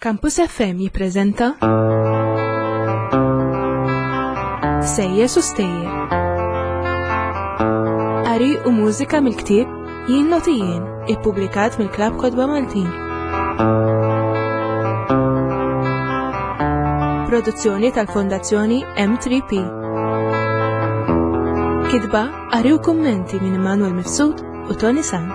Campus FM jippreżenta Sejjes u Stejjer. Qari u mużika mill-ktieb Jien Noti Jien, ippubblikat mill-Klabb Kotba Maltin. Produzzjoni tal-Fondazzjoni M3P. Kitba, qari u kummenti minn Immanuel Mifsud u Tony Sant.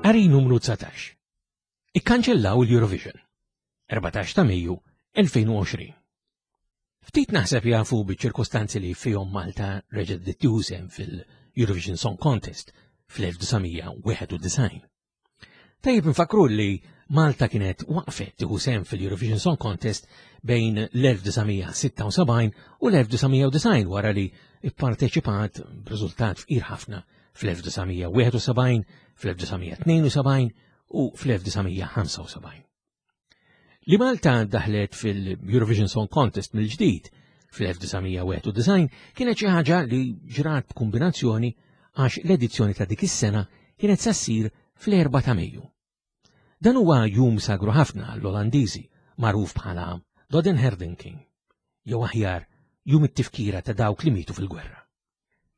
Qari numru 19. Ikkanċellaw l-Eurovision. 14 ta' Mejju 2020. Ftit naħseb jafu biċ-ċirkustanzi li fihom Malta reġgħet bdiet tieħu sehem fil-Eurovision Song Contest fl-1991. Tajjeb nfakru li Malta kienet waqfet tieħu sehem fil-Eurovision Song Contest bejn l-1976 u l-1990 wara li pparteċipat b'riżultat fqir ħafna fl-1971, fl-1972 u fl-1975. Li Malta daħlet fil-Eurovision Song Contest mill-ġdid fl-1991 kienet xi ħaġa li ġrat b'kombinazzjoni għax l-edizzjoni ta' dik is-sena kienet sa ssir fl-4 ta' Mejju. Dan huwa jum sagru ħafna għall-Olandiżi magħruf bħala Dodenherdenking, jew aħjar jum it-tifkira ta' dawk li mietu fil-gwerra.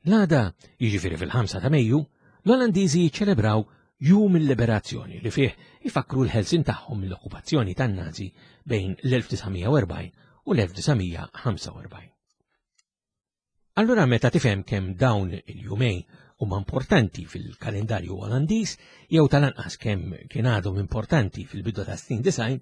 L-għada, jiġifieri fil-5 ta' Mejju, l-Olandiżi jiċċelebraw Jum il-Liberazzjoni li fih ifakkru l-ħelsien tagħhom mill-okkupazzjoni tan-Nazi bejn l-1940 u l-1945. Allura meta tifhem kemm dawn il-jumejn huma importanti fil-kalendarju Olandiż jew tal-anqas kemm kien għadhom importanti fil-bidu ta' snin design,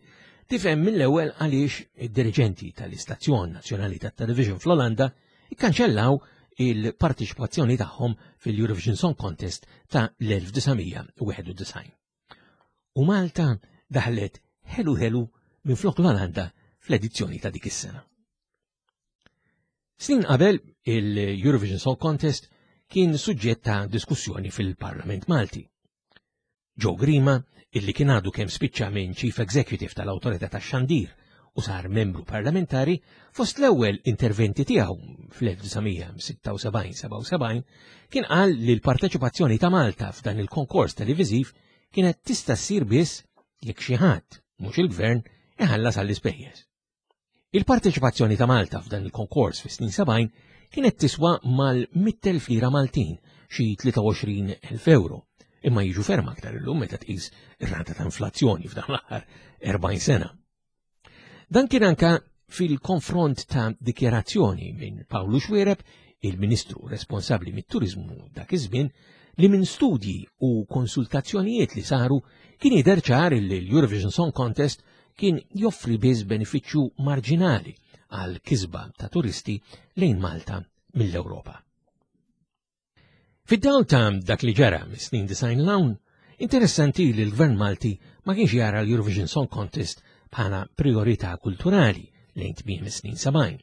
tifhem mill-ewwel għaliex id-diriġenti tal-Istazzjon Nazzjonali tat-Television fl-Olanda ikkanċellaw il-partiċipazzjoni tagħhom fil-Eurovision Song Contest ta' l-1991. U Malta daħlet ħelu ħelu minn flok l-Olanda fl-edizzjoni ta' dik is-sena. Snin qabel il-Eurovision Song Contest kien suġġett ta' diskussjoni fil-Parlament Malti. Joe Grima, illi kien għadu kemm spiċċa minn Chief Executive tal-Awtorità tax-Xandir u sar membru parlamentari, fost l-ewwel interventi tiegħu fl-1976-77 kien qal li l-parteċipazzjoni ta' Malta f'dan il-konkors televiżiv kienet tista' ssir biss jekk xi ħadd, mhux il-gvern, iħallas għall-ispejjeż. Il-parteċipazzjoni ta' Malta f'dan il-konkors fis-snin 70 kienet tiswa mal-100,000 lira Maltin, xi 23,000 euro, imma jiġu ferm aktar illum meta tqis ir-rata ta' inflazzjoni f'dan l-aħħar 40 sena. Dan kien anka fil-konfront ta' dikjarazzjoni minn Pawlu Xuereb, il-Ministru responsabbli mit-turiżmu dak iż-żmien, li minn studji u konsultazzjonijiet li saru kien jidher ċar li l-Eurovision Song Contest kien joffri biss benefiċċju marġinali għal kisba ta' turisti lejn Malta mill-Ewropa. Fid-dawl ta' dak li ġara mis-snin design l-hawn, interessanti li l-Gvern Malti ma kienx jara l-Eurovision Song Contest bħala priorità kulturali lejn tmiem is-snin 70.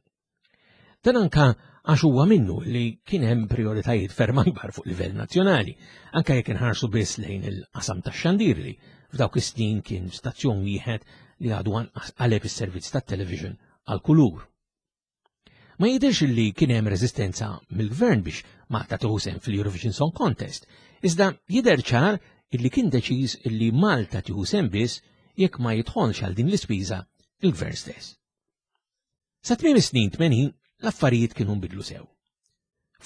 Dan anka għax huwa minnu li kien hemm prioritajiet ferm akbar fuq livell nazzjonali, anka jekk inħarsu biss lejn il-qasam tax-xandir li f'dawk is-snin kien stazzjon wieħed li għadu anqas qaleb is-servizz tat-television għal kulur. Ma jidhirx li kien hemm reżistenza mill-gvern biex Malta tieħu sehem fil-Eurovision Song Contest, iżda jidher ċar illi kien deċiż li Malta tieħu sehem biss jekk ma jidħolx għal din l-ispiża il-gvern stess. Sa tmiem is-snin 80 l-affarijiet kienu nbidlu sew.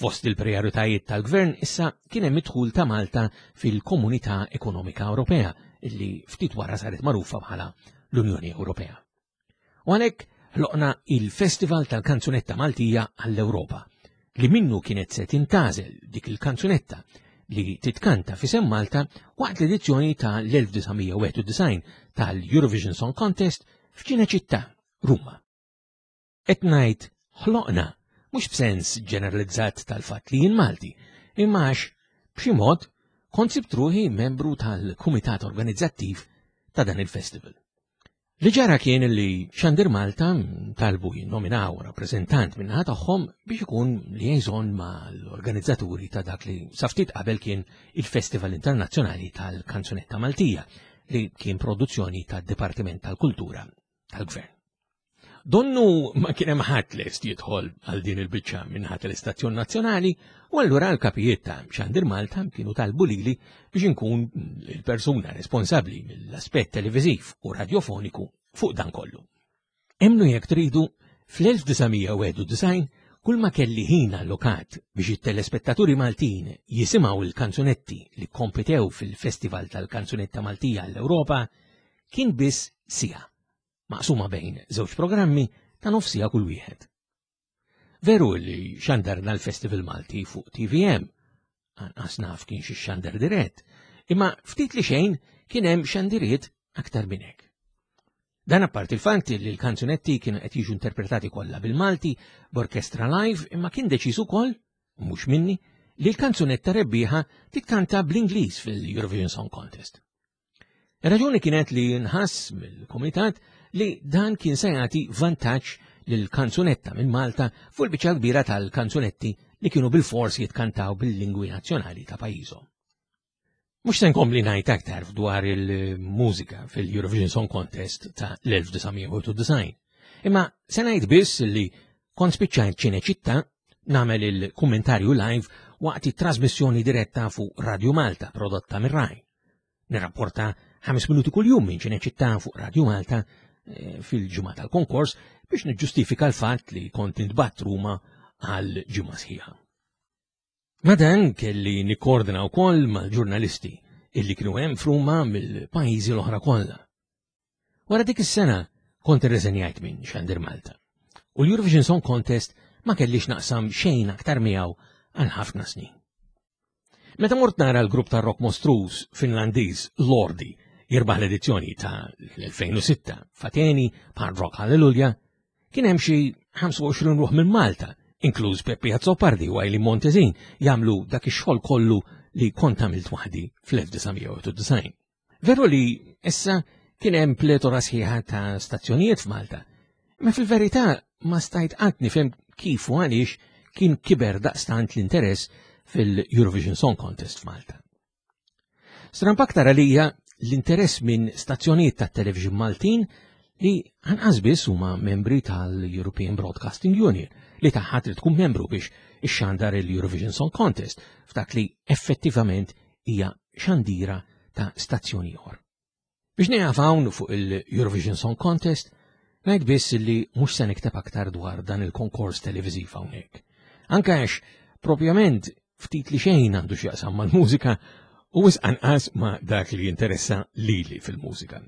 Fost il-prijoritajiet tal-gvern issa kien hemm id-dħul ta' Malta fil-Komunità Ekonomika Ewropea illi ftit wara saret magħrufa bħala l-Unjoni Ewropea. U għalhekk ħloqna il-Festival tal-Kanzunetta Maltija għall-Ewropa li minnu kienet se tintażel dik il-kanzunetta li titkanta f'isem Malta waqt l-edizzjoni ta' l-1991 tal-Eurovision Song Contest f'Ċineċittà, Ruma. Qed ngħid ħloqna mhux b'sens ġeneralizzat tal-fatt li jien Malti, imma għax b'xi mod kont sibt ruħi membru tal-kumitat organizzattiv ta' dan il-festival. Li ġara kien li Xandir Malta talbu jinnominaw rappreżentant min-naħa tagħhom biex ikun liaison mal-organizzaturi ta' dak li sa ftit qabel kien il-Festival Internazzjonali tal-Kanzunetta Maltija li kien produzzjoni tad-Dipartiment tal-Kultura tal-Gvern. Donnu ma kien hemm ħadd lest jidħol għal din il-biċċa minn ħadd l-istazzjon nazzjonali u allura l-kapijiet ta' Xandir Malta kienu talbu lili biex inkun il-persuna responsabbli mill-aspett televiżiv u radjofoniku fuq dan kollu. Emmnu jekk tridu, fl-1991 kull ma kelli ħin allokat biex it-telespettaturi Maltin jisimgħu l-kanzunetti li kkompitew fil-Festival tal-Kanzunetta Maltija għall-Ewropa kien biss siegħa, maqsuma bejn żewġ programmi ta' nofs siegħa kull wieħed. Veru li xandarna l-Festival Malti fuq TVM, anqas naf kien xi xandar dirett, imma ftit li xejn kien hemm xandiriet aktar minn hekk. Dan apparti il-fatt li l-kanzunetti kienu qed jiġu interpretati kollha bil-Malti b'orkestra live imma kien deċiż ukoll, mhux minni, li l-kanzunetta rebbieħa titkanta bl-Ingliż fil-Eurovision Song Contest. Ir-raġuni kienet li nħass mill-kumitat li dan kien se jagħti vantaġġ lil kanzunetta minn Malta fuq il-biċċa kbira tal-kanzunetti li kienu bil-fors jitkantaw bil-lingwi nazzjonali ta' pajjiżhom. Mhux se nkompli ngħid aktar dwar il-mużika fil-Eurovision Song Contest ta' l-1991. Imma se ngħid biss li kont spiċċajt ċineċitta nagħmel il-kummentarju live waqt it-trasmissjoni diretta fuq Radio Malta prodotta mir-Raj. Nirrapporta ħames minuti kuljum minn Ċineċittà fuq Radio Malta eh, fil-ġimgħa tal-konkors biex niġġustifika l-fatt li kont intbatt Ruma għal ġimgħa sħiħa. Ma dan kelli nikkordina wkoll mal-ġurnalisti illi kienu hemm f'Ruma mill-pajjiżi l-oħra kollha. Wara dik is-sena kont irreżenjajt minn Xandir Malta. U l-Eurovision Song Contest ma kellix naqsam xejn aktar miegħu għal ħafna snin. Meta mort nara l-grupp ta' rock mostruż Finlandiż Lordi jirbaħ l-edizzjoni ta' l-2006 f'Ateni bħal Rock Hallelujah, kien hemm xi 25 ruħ minn Malta, inkluż Peppi Azzopardi u Eileen Montezin, jagħmlu dak ix-xogħol kollu li kont għamilt waħdi fl-1991. Veru li issa kien hemm pletora sħiħa ta' stazzjonijiet f'Malta, imma fil-verità ma stajt qatt nifhem kif u għaliex kien kiber daqstant l-interess fil-Eurovision Song Contest f'Malta. Stramp aktar għalija l-interess minn stazzjonijiet tat-television Maltin li anqas biss huma membri tal-European Broadcasting Union li tagħha trid tkun membru biex ixxandar il-Eurovision Song Contest f'dak li effettivament hija xandira ta' stazzjon ieħor. Biex nieqaf hawn fuq il-Eurovision Song Contest, ngħid biss li mhux se nikteb aktar dwar dan il-konkors televiżiv hawnhekk. Anke għax propjament ftit li xejn għandu x'jaqsam mal-mużika u wisq anqas ma' dak li jinteressa lili fil-mużika.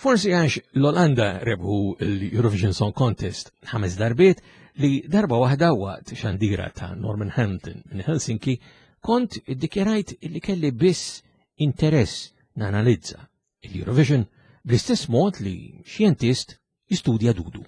Forsi għax l-Olanda rebħu l-Eurovision Song Contest ħames darbiet li darba waħda waqt xandira ta' Norman Hamilton minn Helsinki kont iddikjarajt li kelli biss interess nanalizza l-Eurovision bl-istess mod li xjentist jistudja dudu.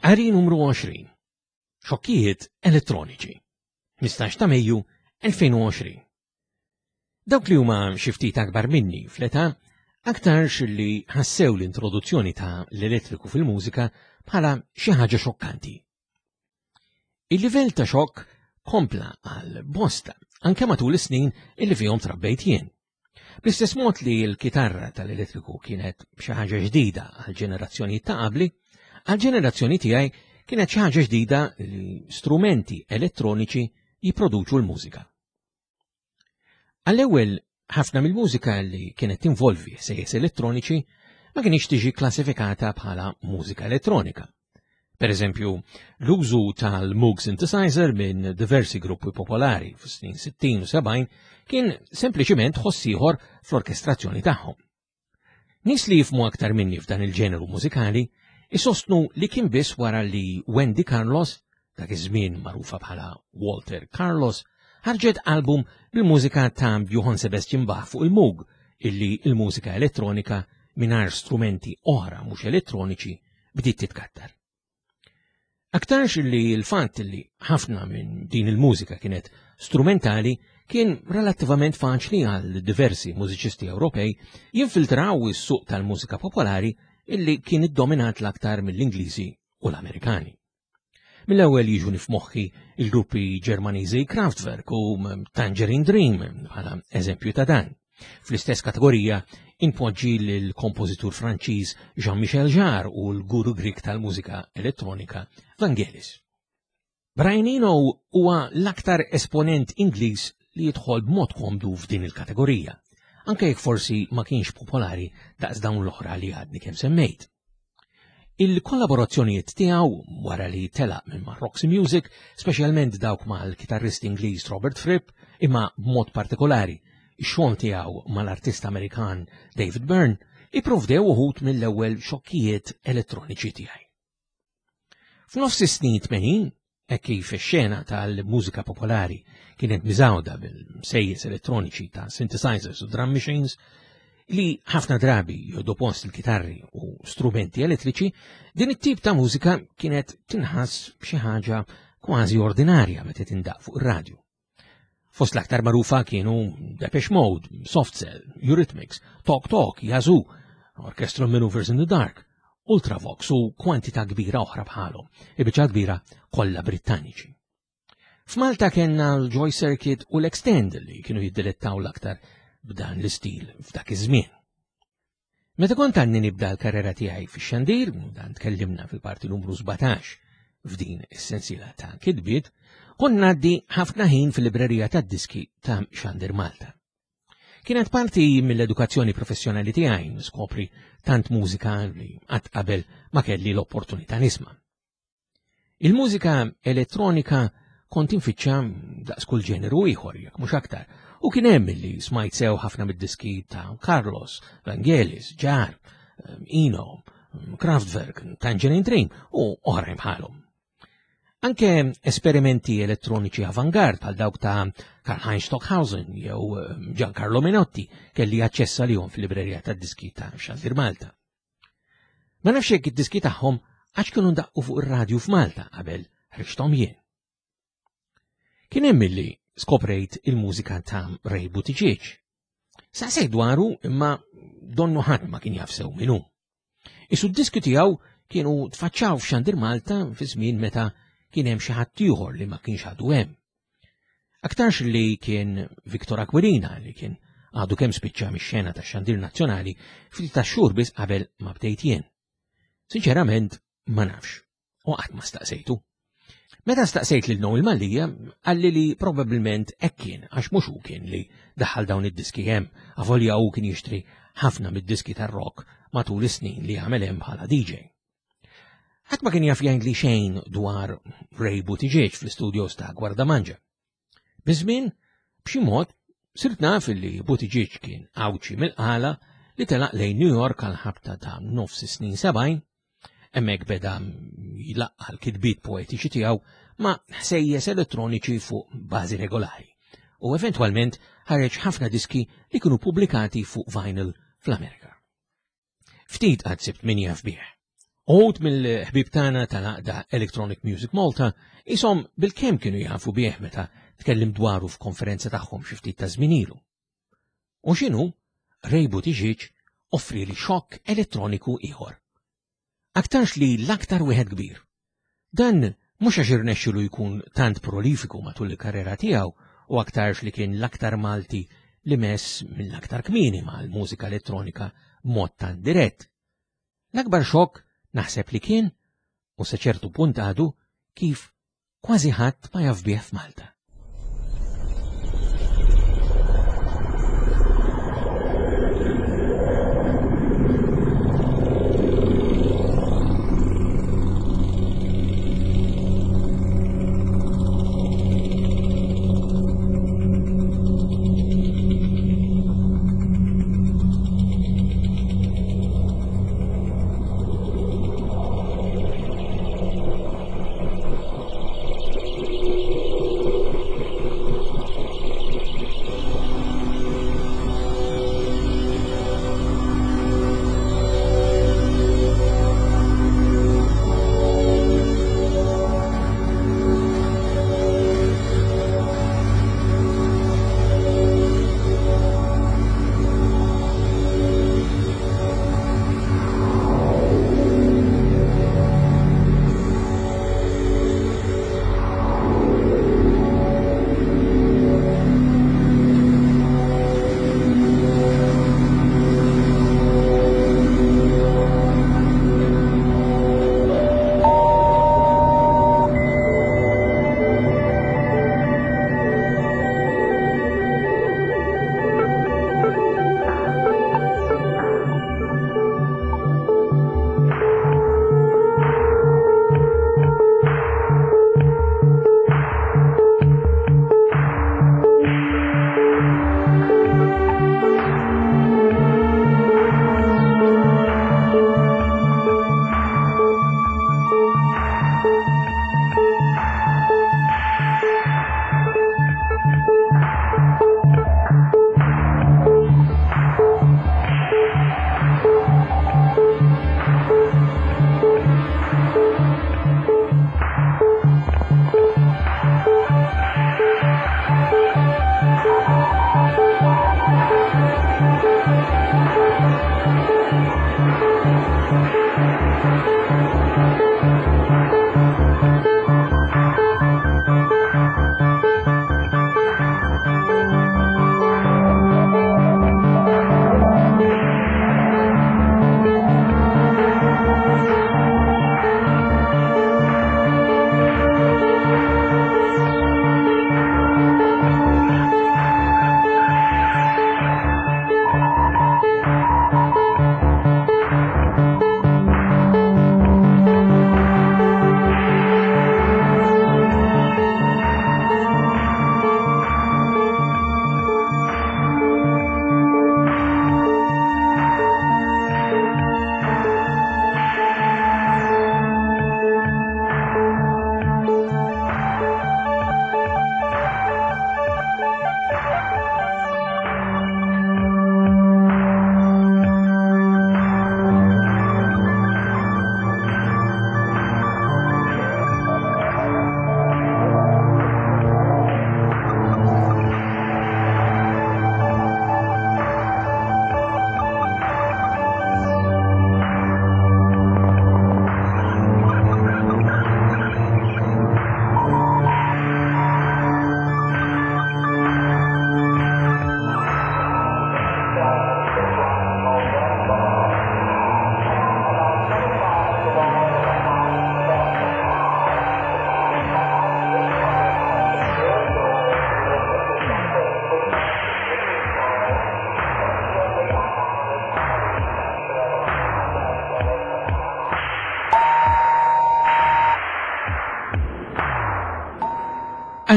Qari numru 20. Xokkijiet elettroniċi. 15 ta' Mejju 2020. Dawk li huma xi ftit akbar minni fl-età aktarx li ħassew l-introduzzjoni ta' l-elettriku fil-mużika bħala xi ħaġa xokkanti. Il-livell ta' xokk kompla għal bosta anke matul is-snin illi fihom trabbejt jien. Bl-istess mod li l-kitarra tal-elettriku kienet xi ħaġa ġdida għal ġenerazzjoni ta' qabli, għal ġenerazzjoni tiegħi kienet xi ħaġa ġdida li strumenti elettroniċi jipproduċu l-mużika. Għall-ewwel ħafna mill-mużika li kienet tinvolvi sejjes elettroniċi ma kienx tiġi klassifikata bħala mużika elettronika. Per eżempju, l-użu tal-Moog synthesizer minn diversi gruppi popolari fis-snin 60 u 70 kien sempliċiment ħoss ieħor fl-orkestrazzjoni tagħhom. Nies li jifmu aktar minni f'dan il-ġeneru mużikali isostnu li kien biss wara li Wendy Carlos, dak iż-żmien magħrufa bħala Walter Carlos, ħarġet album bil-mużika ta' Johann Sebastian Bach fuq il-Moog illi il-mużika elettronika mingħajr strumenti oħra mhux elettroniċi bdiet titkattar. Aktarx li l-fatt li ħafna minn din il-mużika kienet strumentali kien relattivament faċli għal diversi mużiċisti Ewropej jinfiltraw is-suq tal-mużika popolari illi kien iddominat l-aktar mill-Ingliżi u l-Amerikani. Mill-ewwel jiġuni f'moħħi il-gruppi Ġermaniżi Kraftwerk u Tangerine Dream bħala eżempju ta' dan. Fl-istess kategorija inpoġġi lill-kompożitur Franċiż Jean-Michel Jarre u l-guru Grik tal-mużika elettronika Vangelis. Brian Eno huwa l-aktar esponent Ingliż li jidħol b'mod komdu f'din il-kategorija, anke jekk forsi ma kienx popolari daqs dawn l-oħra li għadni kemm semmejt. Il-kollaborazzjonijiet tiegħu wara li telaq minn ma' Roxy Music, speċjalment dawk mal-kitarrist Ingliż Robert Fripp, imma b'mod partikolari ix-xogħol tiegħu mal-artist Amerikan David Byrne, ipprovdew uħud mill-ewwel xokkijiet elettroniċi tiegħi. F'nofs is-snin 80, hekk kif ix-xena tal-mużika popolari kienet miżgħuda bil-sejjes elettroniċi ta' synthesizers u drum machines, li ħafna drabi joddu post il-kitarri u strumenti elettriċi, din it-tip ta' mużika kienet tinħass xi ħaġa kważi ordinarja meta tindaq fuq ir-radju. Fost l-aktar magħrufa kienu Depeche Mode, Soft Cell, Eurythmics, Talk Talk, Yazoo, Orchestral Maneuvers in the Dark, Ultravox u kwantità kbira oħra bħalhom, il-biċċa kbira kollha Brittaniċi. F'Malta kellna l-Joy Circuit u l-Extend li kienu jiddilettaw l-aktar b'dan l-istil f'dak iż-żmien. Meta kont għadni nibda l-karriera tiegħi fix-xandir, dan tkellimna fil-parti numru 17 f'din is-sensiela ta' kitbiet, kont ngħaddi ħafna ħin fil-librerija tad-diski ta' Xandir Malta. Kienet parti mill-edukazzjoni professjonali tiegħi niskopri tant mużika li qatt qabel ma kelli l-opportunità nisma'. Il-mużika elettronika kont infittxa daqs kull ġeneru ieħor jekk mhux aktar, u kien hemm li smajt sew ħafna mid-diski ta' Carlos, Vangelis, Jar, Eno, Kraftwerk, Tangerine Dream u oħrajn bħalhom. Anke esperimenti elettroniċi avangard bħal dawk ta' Karl-Heinz Stockhausen jew Giancarlo Menotti kelli aċċess għalihom fil-librerija tad-diski ta' Xandir Malta. Ma nafx jekk id-diski tagħhom għax kienu ndaqqu fuq ir-radju f'Malta qabel ħriġthom jien. Kien hemm illi skoprejt il-mużika ta' Ray Buttigieg. Saqsejt dwaru imma donnu ħadd ma kien jaf sew minnu. Isu d-diski tiegħu kienu tfaċċaw f'Xandir Malta fi żmien meta kien hemm xi ħadd ieħor li ma kienx għadu hemm. Aktarx li kien Victor Aquilina li kien għadu kemm spiċċa mix-xena tax-xandir nazzjonali ftit ta' xhur biss qabel ma bdejt jien. Sinċerament ma nafx u qatt ma staqsejtu. Meta staqsejt lil Noel Mallia, qalli li probabbilment hekk kien għax mhux hu kien li daħal dawn id-diski hemm, avolja hu kien jixtri ħafna mid-diski tar-rock matul is-snin li għamel hemm bħala DJ. Ħadd ma kien jaf jgħidli xejn dwar Ray Buttigieg fl-istudios ta' Gwardamanġa. Biż-żmien, b'xi mod, sirt naf li Buttigieg kien Għawdxi mill-Qala li telaq lejn New York għal ħabta ta' nofs is-snin 70, hemmhekk beda jlaqqa' l-kitbiet poetiċi tiegħu ma' ħsejjes elettroniċi fuq bażi regolari u eventwalment ħareġ ħafna diski li kienu pubblikati fuq vinyl fl-Amerika. Ftit qatt sibt min jaf bih. Uħud mill-ħbieb tagħna tal-għaqda Electronic Music Malta ishom bilkemm kienu jafu bih meta tkellim dwaru f'konferenza tagħhom xi ftit ta' żmien ilu. U x'inhu, Ray Buttigieg offrieli xokk elettroniku ieħor. Aktarx li l-aktar wieħed kbir. Dan mhux għax irnexxilu jkun tant prolifiku matul il-karriera tiegħu u aktarx li kien l-aktar Malti li mess mill-aktar kmieni mal-mużika elettronika b'mod tant dirett. L-akbar xokk naħseb li kien, u sa ċertu punt għadu, kif kważi ħadd ma jaf bih f'Malta.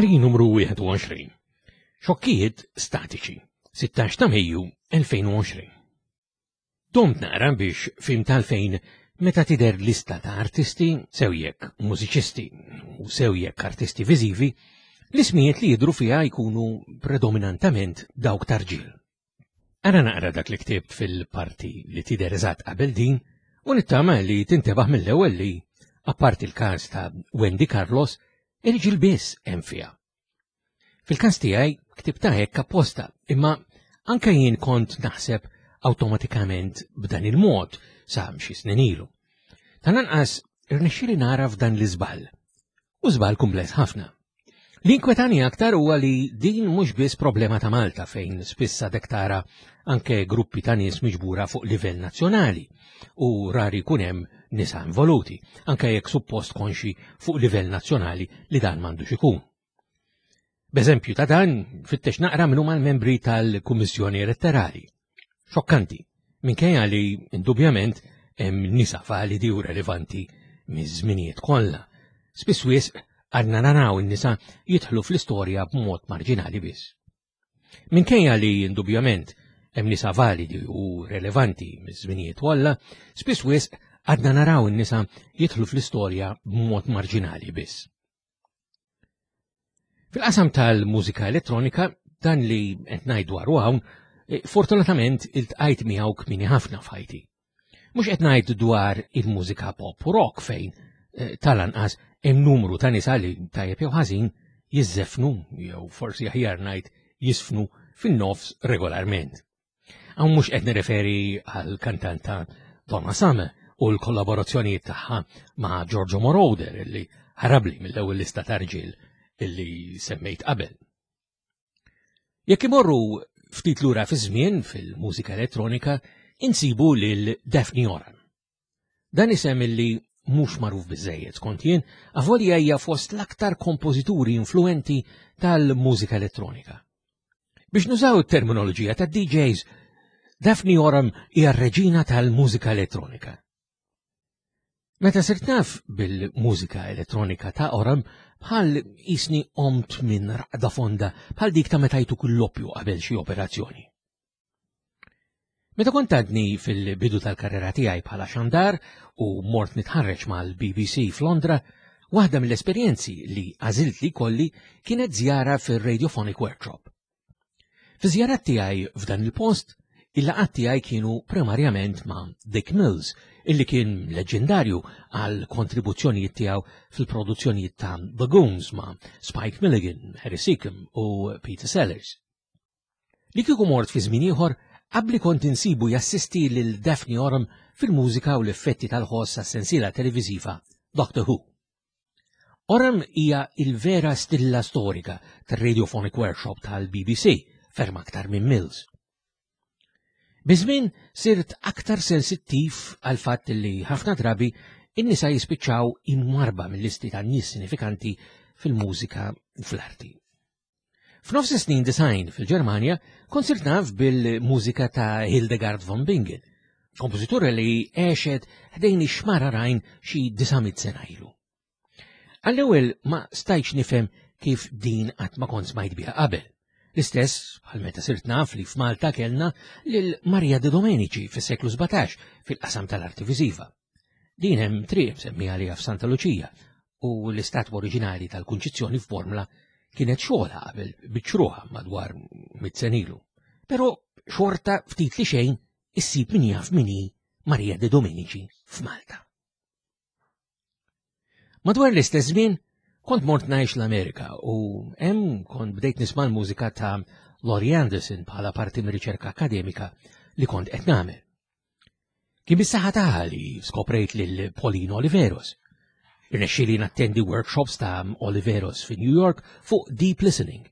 Qari numru 21. Xokkijiet statiċi. 16 ta' Mejju 2020. Domt naqra biex fim tal-fejn meta tidher lista ta' artisti, sew jekk mużiċisti u sew jekk artisti viżivi, l-ismijiet li jidhru fiha jkunu predominantament dawk ta' rġiel. Ara naqra dak li ktibt fil-parti li tidher eżatt qabel din U nittama li tintebaħ mill-ewwel li, apparti l-każ ta' Wendy Carlos, irġiel biss hemm fiha. Fil-każ tiegħi ktibta hekk apposta, imma anke jien kont naħseb awtomatikament b'dan il-mod sa xi snin ilu. Tal-anqas irnexxieli nara f'dan l-iżball. U żball kumpless ħafna. Li inkwetani aktar huwa li din mhux biss problema ta' Malta fejn spiss għadek tara anke gruppi ta' nies miġbura fuq livell nazzjonali u rari jkun hemm nisa involuti, anke jekk suppost konxi fuq livell nazzjonali li dan m'għandux ikun. B'eżempju ta' dan, fittex naqra minn huma l-membri tal-Kummissjoni Elettorali. Xokkanti, minkejja li indubjament hemm nisa validi u relevanti miż-żminijiet kollha. Spiss wisq għadna naraw in-nisa jidħlu fl-istorja b'mod marġinali biss. Minkejja li indubjament hemm nisa validi u relevanti miż-żminijiet kollha, spiss wisq għadna naraw in-nisa jidħlu fl-istorja b'mod marġinali biss. Fil-qasam tal-mużika elettronika, dan li qed ngħid dwaru hawn, eh, fortunatament iltqajt miegħu kmieni ħafna f'ħajti. Mhux qed ngħid dwar il-mużika pop u rock fejn eh, tal-anqas hemm numru ta' nisa li tajjeb jew ħażin jiżżefnu jew forsi aħjar ngħid jisfnu fin-nofs regolarment. Hawn mhux qed nirreferi għal kantanta Donna Summer u l-kollaborazzjonijiet tagħha ma' Giorgio Moroder illi ħarabli mill-ewwel lista ta' rġiel illi semmejt qabel. Jekk imorru ftit lura fi żmien fil-mużika elettronika, insibu lil Daphne Oram. Dan isem illi mhux magħruf biżejjed skont jien, avolja hija fost l-aktar kompożituri influenti tal-mużika elettronika. Biex nużaw it-terminoloġija ta' DJs, Daphne Oram hija r-reġina tal-mużika elettronika. Meta sirt naf bil-mużika elettronika ta' Oram, bħal isni omt minn raqda fonda bħal dik ta' meta jtuk l-loppju qabel xi operazzjoni. Meta kont għadni fil-bidu tal-karriera tiegħi bħala xandar u mort nitħarreġ mal-BBC f'Londra, waħda mill-esperjenzi li għażilt li kolli kienet żjara fir-Radiophonic Workshop. Fi żjarat tiegħi f'dan il-post, il-laqgħat tiegħi kienu primarjament ma' Dick Mills, illi kien leġendarju għal kontribuzzjonijiet tiegħu fil-produzzjonijiet ta' The Goons ma' Spike Milligan, Harry Seacombe u Peter Sellers. Li kieku mort fi żmien ieħor, abbli kont insibu jassisti lil Daphne Oram fil-mużika u l-effetti tal-ħoss għas-sensiela televiżiva Doctor Who. Oram hija il-vera stilla storika tar-Radiophonic Workshop tal-BBC, ferm aktar minn Mills. Biż-żmien sirt aktar sensittiv għal fatt li ħafna drabi in-nisa jispiċċaw imwarba mill-listi ta' nies sinifikanti fil-mużika u fl-arti. F'nofs is-snin design fil-Ġermanja kont sirt naf bil-mużika ta' Hildegard von Bingen, kompożitura li għexet ħdejn ix-xmara Rajn xi 900 sena ilu. Għall-ewwel ma stajtx nifhem kif din qatt ma kont smajt biha qabel. L-istess bħal meta sirt naf li f'Malta kellna lil Maria de Domenici fis-seklu 17 fil-qasam tal-arti viżiva. Din hemm triq msemmija għaliha f'Santa Luċija u l-istatwa oriġinali tal-Kunċizzjoni f'Bormla kienet xogħla qabel biċċruha madwar mit-senilu. Però xorta ftit li xejn issib min jaf min hi Maria de Domenici f'Malta. Madwar l-istess żmien kont mort ngħix l-Amerika u hemm kont bdejt nisma' l-mużika ta' Laurie Anderson bħala parti mir-riċerka akademika li kont qed nagħmel. Kien bis-saħħa tagħha li skoprejt lil Pauline Oliveros. Irnexxieli nattendi workshops ta' Oliveros fi New York fuq deep listening.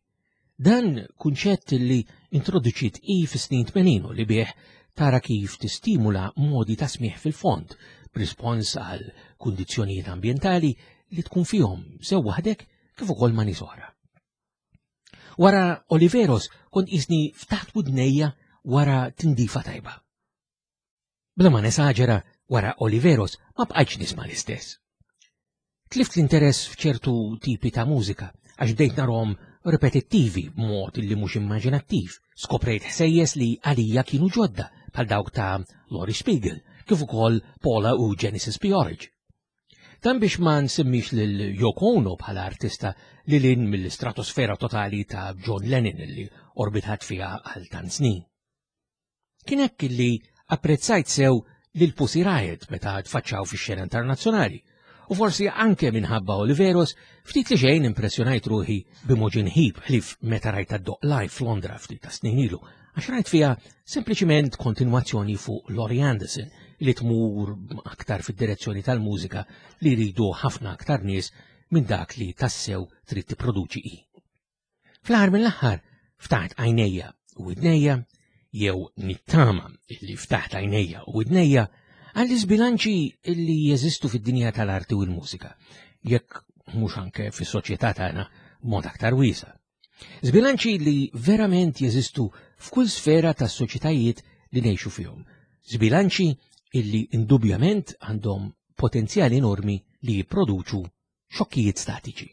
Dan kunċett li introduċiet i fis-snin 80 u li bih tara kif tistimula modi ta' smigħ fil-fond b'rispons għal kundizzjonijiet ambjentali li tkun fihom sew waħdek kif ukoll ma' nies oħra. Wara Oliveros kont qisni ftaħt widnejja wara tindifa tajba. Bla ma nesaġera, wara Oliveros ma bqajtx nisma' l-istess. Tlift l-interess f'ċertu tipi ta' mużika għax bdejt narhom ripetittivi b'mod li mhux immaġinattiv. Skoprejt ħsejjes li għalija kienu ġodda bħal dawk ta' Laurie Spiegel kif ukoll Paula u Genesis P-Orridge. Dan biex ma nsemmix lil Yoko Ono bħala artista li lin mill-istratosfera totali ta' John Lennon li orbitat fiha għal tant snin. Kien hekk li apprezzajt sew lil Pussy Riot meta tfaċċaw fix-xena internazzjonali u forsi anke minħabba Oliveros ftit li xejn impressjonajt ruħi b'Imogen Heap ħlief meta rajta ddoqq live f'Londra ftit ta' snin ilu għax rajt fiha sempliċiment kontinwazzjoni fuq Laurie Anderson li tmur aktar fid-direzzjoni tal-mużika li jridu ħafna aktar nies minn dak li tassew trid tipproduċi hi. Fl-aħħar mill-aħħar ftaħt għajnejja u widnejja jew nittama li ftaħt għajnejja u widnejja għall-iżbilanċi li jeżistu fid-dinja tal-arti u l-mużika, jekk mhux anke fis-soċjetà tagħna b'mod aktar wiesa'. Żbilanċi li verament jeżistu f'kull sfera tas-soċjetajiet li ngħixu fihom. Żbilanċi illi indubjament għandhom potenzjal enormi li jipproduċu xokkijiet statiċi.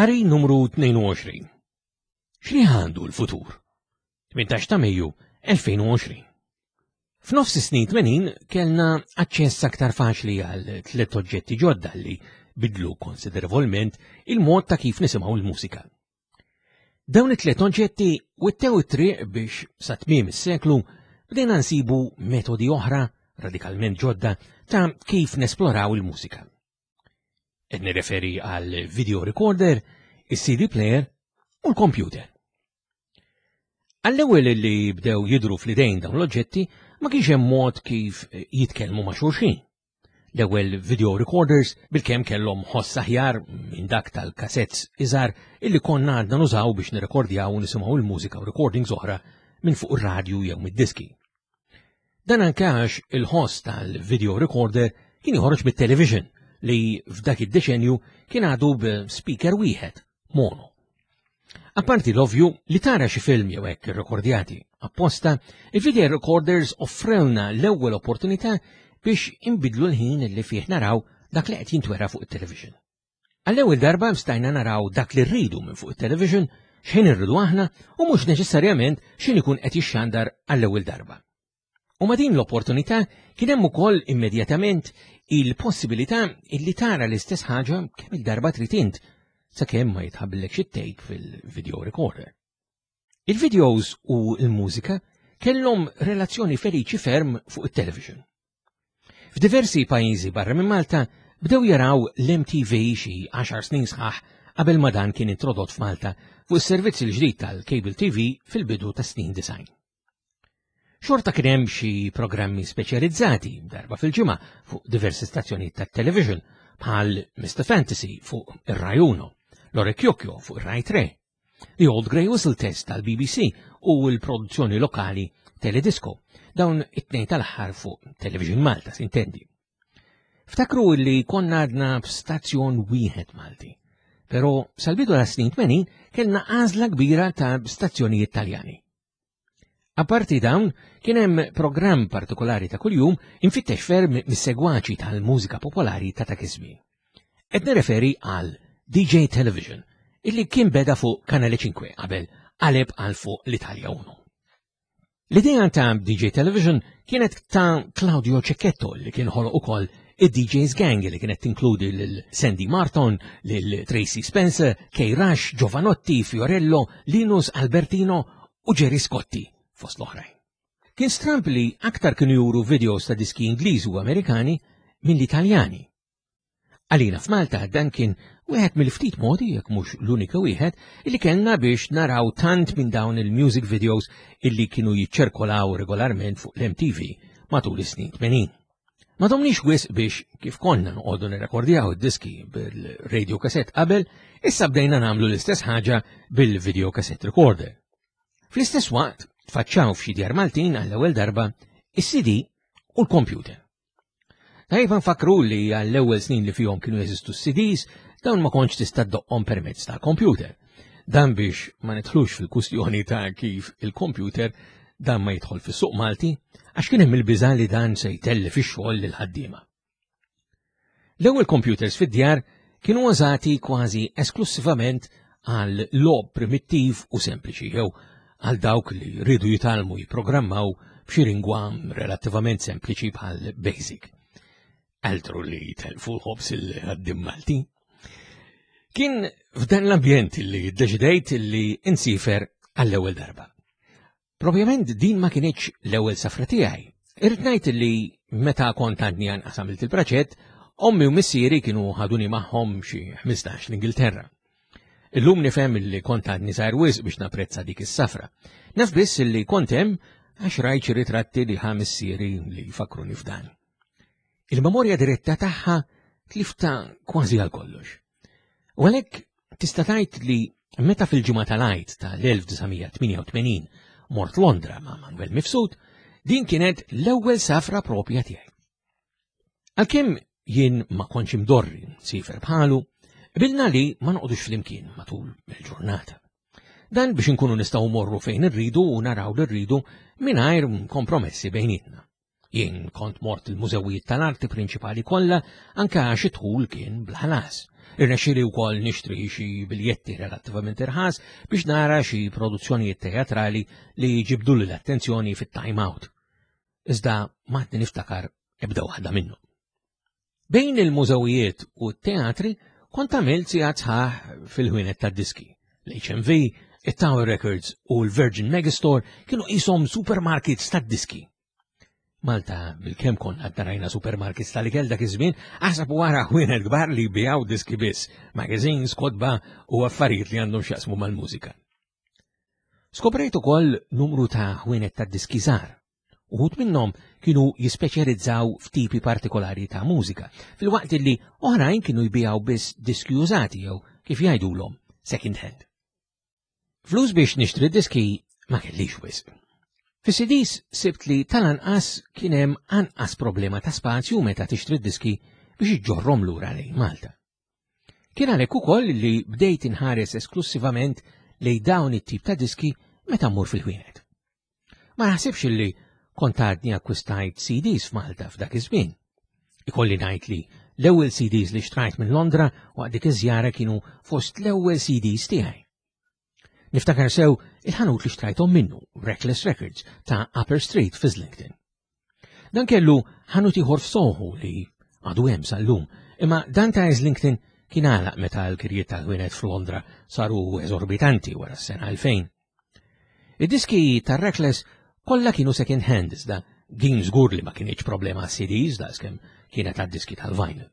Qari numru 22. X'li għandu l-futur? 18 ta' Mejju 2020. F'nofs is-snin 80 kellna aċċess aktar faċli għal tliet oġġetti ġodda li bidlu konsiderevolment il-mod ta' kif nisimgħu l-mużika. Dawn it-tliet oġġetti wittew it-triq biex sa tmiem is-seklu bdejna nsibu metodi oħra radikalment ġodda ta' kif nesploraw il-mużika. Qed nirreferi għal video recorder, is-CD player u l-computer. Għall-ewwel li bdew jidru fl-idejn dawn l-oġġetti ma kienx hemm mod kif jitkellmu ma' xulxin. L-ewwel video recorders bilkemm kellhom ħoss aħjar minn dak tal-cassettes iżgħar illi konna għadna nużaw biex nirrekordjaw u nisimgħu l-mużika u recordings oħra minn fuq ir-radju jew mid-diski. Dan anke għax il-ħoss tal-video recorder kien joħroġ mit-television li f'dak id-deċenju kien għadu b'speaker wieħed, mono. Apparti l-ovju li tara xi film jew hekk irrekordjati apposta, il-video recorders offrewna l-ewwel opportunità biex inbidlu l-ħin li fih naraw dak li qed jintwera fuq it-television. Għall-ewwel darba stajna naraw dak li rridu minn fuq it-television, x'ħin irridu aħna u mhux neċessarjament x'in ikun qed jixxandar għall-ewwel darba. U ma' din l-opportunità kien hemm ukoll immedjatament il-possibilità illi tara l-istess ħaġa kemm il-darba trid int sakemm ma jitħabblekx it-tape fil-video recorder. Il-videos u l-mużika kellhom relazzjoni feliċi ferm fuq it-television. F'diversi pajjiżi barra minn Malta bdew jaraw l-MTV xi 10 snin sħaħ qabel ma dan kien introdott f'Malta fuq is-servizz il-ġdid tal-Cable TV fil-bidu tas snin design. Xorta kien hemm xi programmi speċjalizzati darba fil-ġimgħa fuq diversi stazzjonijiet tat-television bħal Mr. Fantasy fuq ir-Rai Uno, L'Orecchiocchio fuq ir-Rai 3, The Old Grey Whistle Test tal-BBC u l-produzzjoni lokali Teledisco, dawn it-tnejn tal-aħħar fuq Television Malta, sintendi. Ftakru li konna għadna b'stazzjon wieħed Malti, pero sal-bidu ta' snin 80 kellna għażla kbira ta' stazzjonijiet Taljani. Apparti dawn, kien hemm programm partikolari ta' kuljum infittex ferm mis-segwaċi tal-mużika popolari ta' dak iż-żmien. Qed nirreferi għal DJ Television, illi kien beda fuq Kanale 5 qabel qaleb għal fuq l-Italja 1. L-idea ta' DJ Television kienet ta' Claudio Cecchetto li kien ħoloq ukoll id-DJs Gang li kienet tinkludi lil Sandy Marton, lil Tracy Spencer, Kay Rush, Giovanotti, Fiorello, Linus Albertino u Jerry Scotti fost l-oħrajn. Kien stramp li aktar kienu juru videos ta' diski Ingliżi u Amerikani minn l-Italjani. Għalina f'Malta dan kien wieħed mill-ftit modi, jekk mhux l-unika wieħed, illi kellna biex naraw tant minn dawn il-music videos illi kienu jiċċirkolaw regolarment fuq l-MTV matul is-snin 80. Ma domniex wisq biex kif konna noqogħdu nirrekordjaw id-diski bil-radio cassette qabel, issa bdejna nagħmlu l-istess ħaġa bil-video cassette recorder. Fl-istess waqt tfaċċaw f'xi djar Maltin għall-ewwel darba is-CD u l-computer. Tajjeb nfakru li għall-ewwel snin li fihom kienu jeżistu s-CDs, dawn ma kontx tista' ddoqqhom permezz tal-computer. Dan biex ma nidħlux fil-kustjoni ta' kif il-computer dan ma jidħol fis-suq Malti għax kien hemm il-biża' li dan se jtellef ix-xogħol lil ħaddiema. L-ewwel computers fid-djar kienu użati kważi esklussivament għal logħob primittiv u sempliċi jew għal dawk li rridu jitgħallmu jipprogrammaw b'xi lingwa relattivament sempliċi bħal Basic. Altru li telfu l-ħobs il-ħaddim Malti. Kien f'dan l-ambjent li ddeċidejt li insifer għall-ewwel darba. Propjament din ma kienx l-ewwel safra tiegħi. Irrid ngħid li meta kont għadni anqas għamilt il-praċett, ommi u missieri kienu ħaduni magħhom xi 15 l-Ingilterra. Illum nifhem li kont għadni żgħir wisq biex napprezza dik is-safra. Naf biss li kont hemm għax rajt xi ritratti li ħa missieri li jfakkruni f'dan. Il-memorja diretta tagħha tlifta kważi għal kollox. U għalhekk tista' tgħid li meta fil-ġimgħa tal-Għid tal-1988 mort Londra ma' Manuel Mifsud, din kienet l-ewwel safra propja tiegħi. Għalkemm jien ma kontx imdorri nsifer bħalu, qbilna li ma noqogħdux flimkien matul il-ġurnata. Dan biex inkunu nistgħu morru fejn irridu u naraw li rridu mingħajr kompromessi bejnietna. Jien kont mort il-mużewijiet tal-arti prinċipali kollha anke għax id-dħul kien bla ħlas. Irnexxieli wkoll nixtri xi biljetti relattivament irħas biex nara xi produzzjonijiet teatrali li ġibdu l-attenzjoni fit-time out. Iżda ma niftakar ebda waħda minnhom. Bejn il-mużewijiet u t-teatri kont għamilt sigħat sħaħ fil-ħwienet tad-diski. L-HMV, it-Tower Records u l-Virgin Megastore kienu qishom supermarkets tad-diski. Malta bil-kem konna rajna supermarkets tal-ikel dak iż-żmien, aħseb wara ħwienet kbar li jbijaw diski biss, magazines, kotba u affarijiet li għandhom x'jaqsmu mal-mużika. Skoprejt ukoll numru ta' ħwienet tad-diski żgħar. Uħud minnhom kienu jispeċjalizzaw f'tipi partikolari ta' mużika, filwaqt li oħrajn kienu jbijaw biss diski użati jew kif jgħidulhom second hand. Flus biex nixtri diski ma kellix wisq. Fis-CDs sibt li tal-anqas kien hemm anqas problema ta' spazju meta tixtri diski biex iġġorrom lura lejn Malta. Kien għalhekk ukoll li bdejt inħares esklussivament lejn dawn it-tip ta' diski meta mmur fil-ħwienet. Ma naħsibx li kont għadni akkwistajt CDs f'Malta f'dak iż-żmien. Ikolli ngħid li l-ewwel CDs li xtrajt minn Londra waqt dik iż-żjara kienu fost l-ewwel CDs tiegħi. Niftakar sew il-ħanut li xtrajthom minnu, Reckless Records, ta' Upper Street f'Islington. Dan kellu ħanut ieħor f'Soho li għadu hemm sal-lum, imma dan ta' Islington kien għalaq meta l-kirjiet tal-ħwienet f'Londra saru eżorbitanti wara s-sena 2000. Id-diski tar-Reckless kollha kienu second hand iżda din żgur li ma kienx problema CDs daqskemm kienet għad-diski tal-vinyl.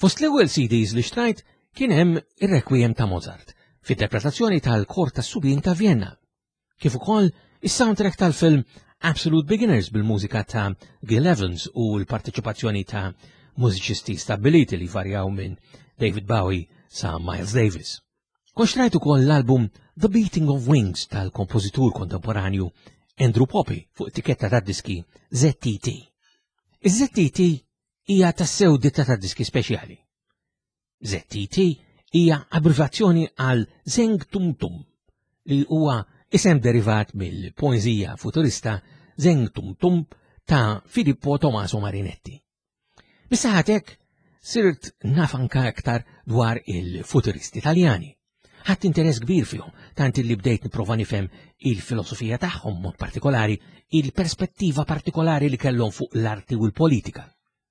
Fost l-ewwel CDs li xtrajt kien hemm ir-Requiem ta' Mozart f'interpretazzjoni tal-Kor tas-Subien ta' Vienna, kif ukoll is-soundtrack tal-film Absolute Beginners bil-mużika ta' Gil Evans u l-parteċipazzjoni ta' mużiċisti stabbiliti li varjaw minn David Bowie sa' Miles Davis. Kont xtrajt ukoll l-album The Beating of Wings tal-kompożitur kontemporanju Andrew Poppy fuq etiketta ta' diski ZTT. Iż-ZTT hija tassew ditta ta' diski speċjali. ZTT hija abbreviazzjoni għal Zeng Tum Tum, li huwa isem derivat mill-poeżija futurista Zeng Tum Tum ta' Filippo Tommaso Marinetti. Bis-saħatek sirt naf anka aktar dwar il-futuristi Taljani. Ħadd interess kbir fihom, tant li bdejt nipprova nifhem il-filosofija tagħhom mod partikolari, il-perspettiva partikolari li kellhom fuq l-arti u l-politika.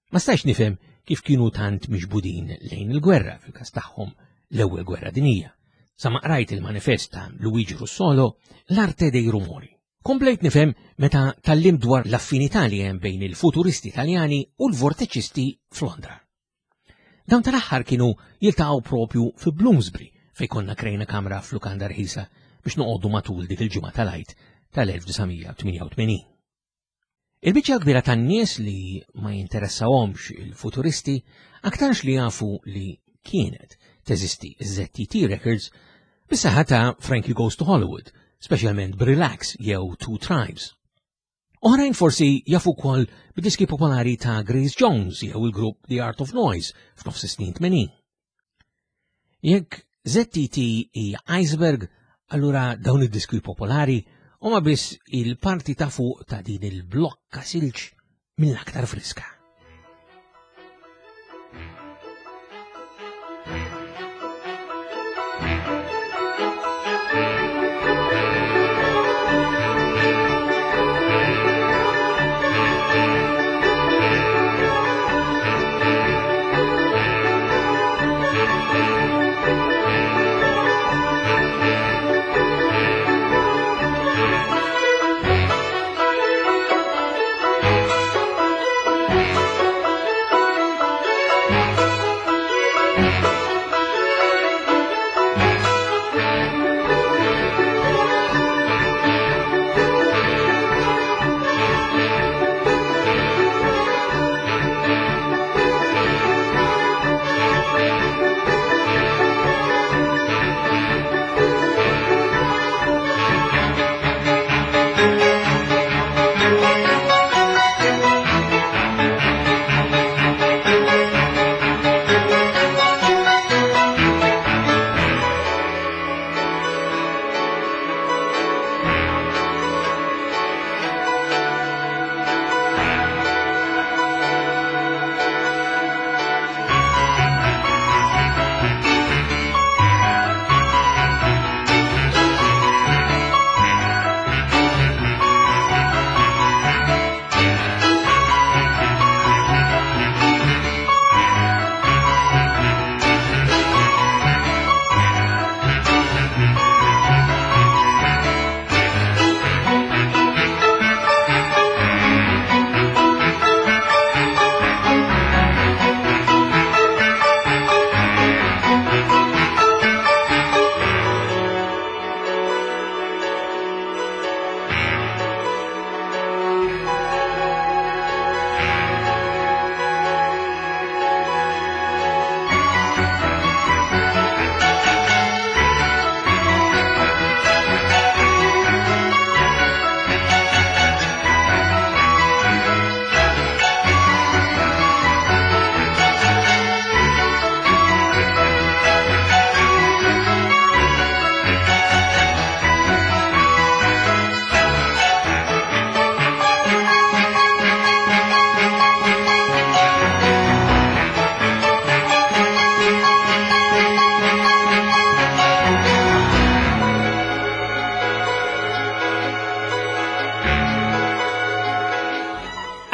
Ma stajx nifhem kif kienu tant miġbudin lejn il-gwerra, fil-każ tagħhom l-ewwel gwerra dinija. Sa ma qrajt il-manifest ta' Luigi Russolo, L'arte dei rumori. Komplejt nifhem meta tallim dwar l-affinità li hemm bejn il-futuristi Taljani u l-vorteċisti f'Londra. Dawn tal-aħħar kienu jiltaqgħu propju fi Bloomsbury fejn konna krejna kamra f'lukanda rħisa biex noqogħdu matul dik il-ġimgħa tal-Għid tal-1988. Il-biċċa kbira tan-nies li ma jinteressahomx il-futuristi aktarx li jafu li kienet teżisti ZTT Records bis-saħħa ta' Frankie Goes to Hollywood, speċjalment b'Relax jew Two Tribes. Oħrajn forsi jafu wkoll bid-diski popolari ta' Grace Jones jew il-grupp The Art of Noise f'nofs is-snin 80. Jekk ZTT hija iceberg, allura dawn id-diski popolari huma biss il-parti ta' fuq ta' din il-blokka silġ mill-aktar friska.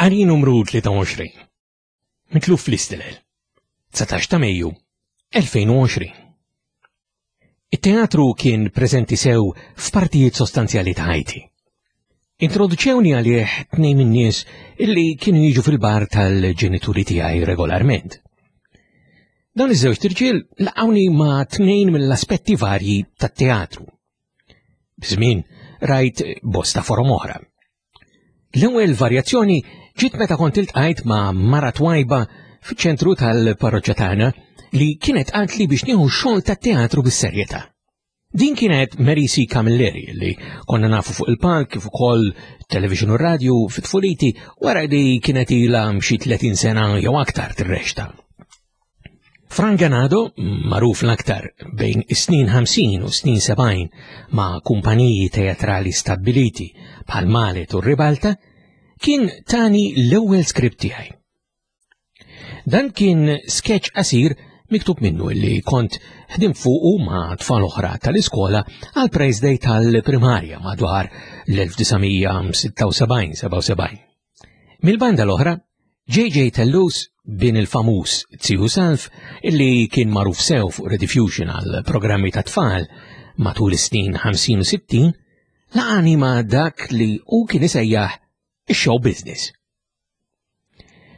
Qari numru 23. Mitluf fl-istilel. 19 ta' Mejju 2020. It-teatru kien preżenti sew f'partijiet sostanzjali ta' ħajti. Introduċewni għalih tnejn min-nies illi kienu jiġu fil-bar tal-ġenituri tiegħi regolarment. Dawn iż-żewġ irġiel laqgħuni ma' tnejn mill-aspetti varji tat-teatru. B'żmien rajt bosta forom oħra. L-ewwel varjazzjoni ġiet meta kont iltqajt ma' mara twajba fiċ-ċentru tal-parroċċa tagħna li kienet qaltli biex nieħu x-xogħol tat-teatru bis-serjetà. Din kienet Mary C. Camilleri li konna nafu fuq il-palk kif ukoll television u radju fit-tfuliti wara li kienet ilha xi 30 sena jew aktar tirrexta. Frank Ganado, magħruf l-aktar bejn is-snin 50 u snin 70 ma' kumpaniji teatrali stabbiliti bħal Malet u Ribalta, kien tani l-ewwel skript tiegħi. Dan kien sketch qasir miktub minnu li kont ħdim fuqu ma' tfal oħra tal-iskola għal Praise Day tal-primarja madwar l-1976-77. Mil-banda l-oħra, JJ Tellus bin il-famuż Zihu Salf illi kien magħruf sew fuq Rediffusion għal programmi ta' tfal matul is-snin 50 u 60, laqani ma' dak li hu kien isejjaħ ix-show business.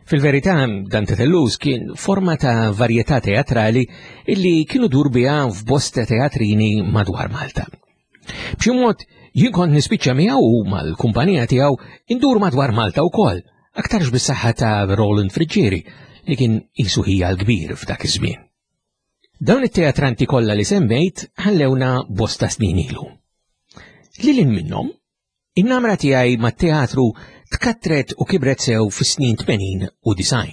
Fil-verità, dan Tellus kien forma ta' varjetà teatrali illi kienu dur biha f'bosta teatrini madwar Malta. B'xi mod, jien kont nispiċċa miegħu u mal-kumpanija tiegħu indur madwar Malta wkoll, aktarx bis-saħħa ta' Roland Friggieri li kien qisu ħija l-kbir f'dak iż-żmien. Dawn it-teatranti kollha li semmejt ħallewna bosta snin ilu. Lil minnhom, In-namra tiegħi mat-teatru tkattret u kibret sew fis-snin 80 u 90.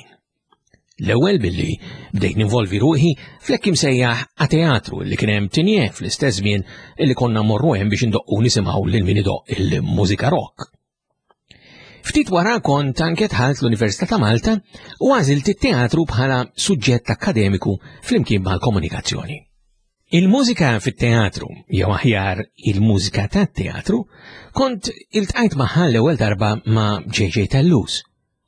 L-ewwel billi bdejt ninvolvi ruħi fl-hekk imsejjaħ a-teatru li kien hemm tinje fl-istess żmien li konna morru hemm biex indoqqu nisimgħu lil min idoqq il-mużika rock. Ftit wara kont anke dħalt l-Università ta' Malta u għażilt it-teatru bħala suġġett akkademiku flimkien mal-komunikazzjoni. Il-mużika fit-teatru, jew aħjar il-mużika tat-teatru, kont iltqajt magħha l-ewwel darba ma' JJ Tellus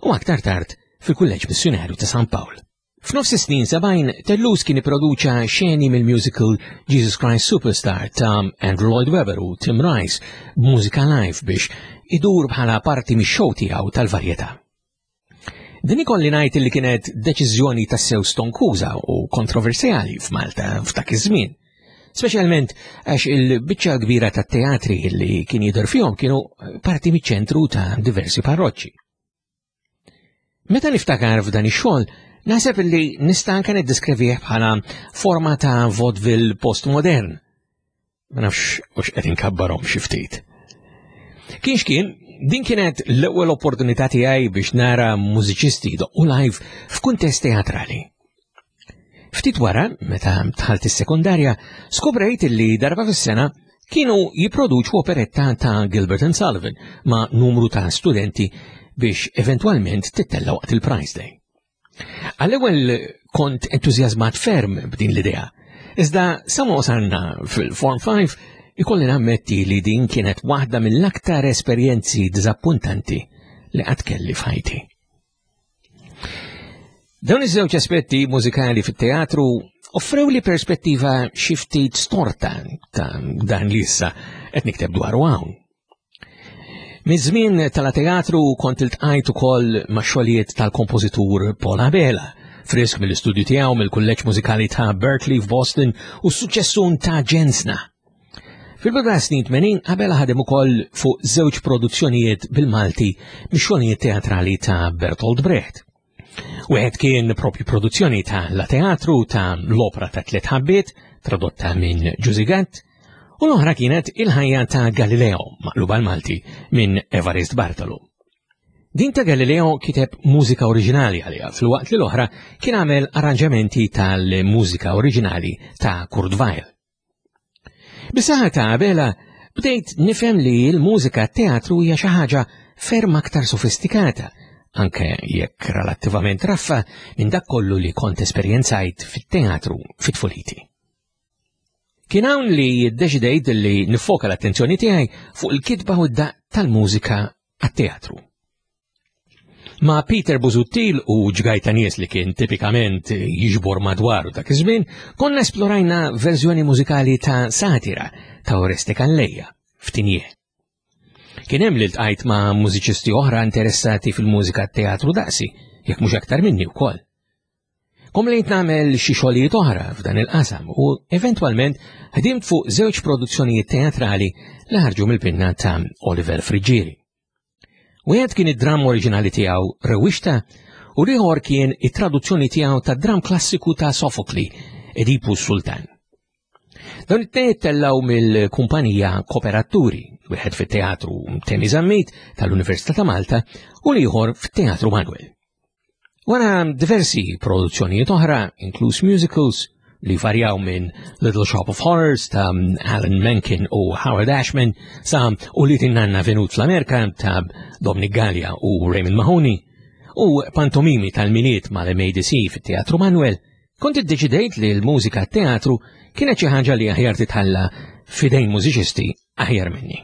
u aktar tard fil-Kulleġġ Missjunarju ta' San Pawl. F'nofs is-snin 70, Tellus kien ipproduċa xeni mill-musical Jesus Christ Superstar ta' Andrew Lloyd Webber u Tim Rice b'mużika live biex idur bħala parti mix-show tiegħu tal-varjetà. Din ikolli ngħid li kienet deċiżjoni tassew stonkuża u kontroversjali f'Malta f'dak iż-żmien. Speċjalment għax il-biċċa kbira tat-teatri li kien jidher fihom kienu parti miċ-ċentru ta' diversi parroċċi. Meta niftakar f'dan ix-xogħol, naħseb li nista' anke niddeskrivih bħala forma ta' vaudeville postmodern Ma nafx hux qed inkabbarhom xi ftit. Kienx kien, din kienet l-ewwel opportunità tiegħi biex nara mużiċisti jdoqqu live f'kuntest teatrali. Ftit wara, meta dħalt is-sekondarja, skoprejt li darba fis-sena kienu jipproduċu operetta ta' Gilbert and Sullivan ma' numru ta' studenti biex eventwalment tittella waqt il-Prize Day. Għall-ewwel kont entużjażmat ferm b'din l-idea. Iżda sa ma wasalna fil-Form 5 ikolli nammetti li din kienet waħda mill-aktar esperjenzi diżappuntanti li qatt kelli f'ħajti. Dawn iż-żewġ aspetti mużikali fit-teatru offrew li perspettiva xi ftit storta ta' dan li issa qed nikteb dwaru hawn. Miż-żmien tal-teatru kont iltqajt ukoll ma' xogħlijiet tal-kompożitur Paul Abela, frisk mill-istudju tiegħu mill-Kulleġġ Mużikali ta' Berkeley f'Boston u s-suċċessun ta' Ġensna. Fil-bidu ta' snin 80 Abela ħadem ukoll fuq żewġ produzzjonijiet bil-Malti mix-xogħlijiet teatrali ta' Bertolt Brecht. Wieħed kien propju produzzjoni ta' La Teatru ta' l-opra ta' Tliet Ħabbiet, tradotta minn Ġużi Gatt, u l-oħra kienet Il-ħajja ta' Galileo, maqluba l-Malti, minn Evarist Bartolo. Din ta' Galileo kiteb mużika oriġinali għaliha, filwaqt li l-oħra kien għamel arranġamenti tal-mużika oriġinali ta' Kurt Weill. Bis-saħħa ta' Abela bdejt nifhem li l-mużika teatru hija xi ħaġa ferm aktar sofistikata, anke jekk relattivament raffa minn dak kollu li kont esperjenzajt fit-teatru fit-tfuliti. Kien hawn li ddeċidejt li nifoka l-attenzjoni tiegħi fuq il-kitba u d-daqq tal-mużika għat-teatru. Ma' Peter Busuttil u ġgajta nies li kien tipikament jiġbor madwaru dak iż-żmien, konna esplorajna verżjoni mużikali ta' satira ta' Oreste Calleja f'Tinje. Kien hemm li ltqajt ma' mużiċisti oħra interessati fil-mużika teatru daqsi, jekk mhux aktar minni wkoll. Komlejt nagħmel xi xogħlijiet oħra f'dan il-qasam u eventwalment ħdimt fuq żewġ produzzjonijiet teatrali li ħarġu mill-pinna ta' Oliver Friggieri. Wieħed kien id-dramm oriġinali tiegħu Rewwixta u l-ieħor kien it-traduzzjoni tiegħu tad-dramm klassiku ta' Sofokli, Edipu Sultan. Dawn it-tnejn tellgħu mill-kumpanija Koperaturi, wieħed fit-Teatru Temi Zammit tal-Università ta' Malta u l-ieħor fit-Teatru Manuel. Wara diversi produzzjonijiet oħra, inkluż musicals, li varjaw minn Little Shop of Horrors ta' Alan Menken u Howard Ashman sa' u li tinnanna venut fl-Amerika ta' Dominic Gallia u Raymond Mahoney u pantomimi tal-miliet mal-MADC fit-Teatru Manuel, kont iddeċidejt li l-mużika teatru kienet xi ħaġa li aħjar titħalla fidejn mużiċisti aħjar minni.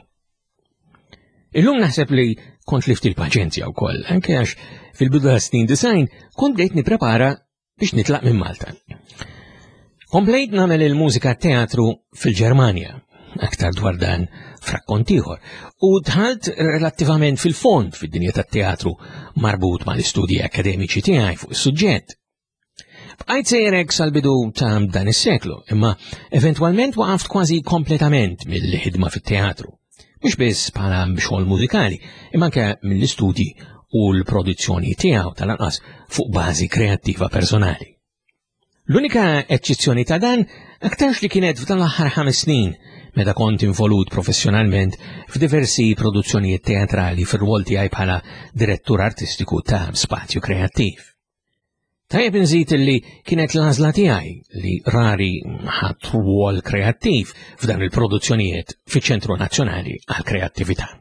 Illum naħseb li kont lift il-paċenzja wkoll, anke għax fil-bidu ta' snin design kont bdejt nipprepara biex nitlaq minn Malta. Komplejt nagħmel il-mużika teatru fil-Ġermanja, aktar dwar dan f'rakkont ieħor, u dħalt relattivament fil-fond fid-dinja tat-teatru marbut mal-istudji akademiċi tiegħi fuq is-suġġett. Bqajt sejrek sal-bidu ta' dan is-seklu, imma eventwalment waqaft kważi kompletament mill-ħidma fit-teatru. Mhux biss bħala xogħol mużikali, imma anke mill-istudji u l-produzzjoni tiegħu tal-anqas fuq bażi kreattiva personali. L-unika eċċezzjoni ta' dan aktarx li kienet f'dan l-aħħar ħames snin meta kont involut professjonalment f'diversi produzzjonijiet teatrali fir-rwol tiegħi bħala direttur artistiku ta' Spazju Kreattiv. Tajjeb inżid li kienet l-għażla tiegħi li rari ħadd rwol kreattiv f'dan il-produzzjonijiet fiċ-Ċentru Nazzjonali għall-Kreattività.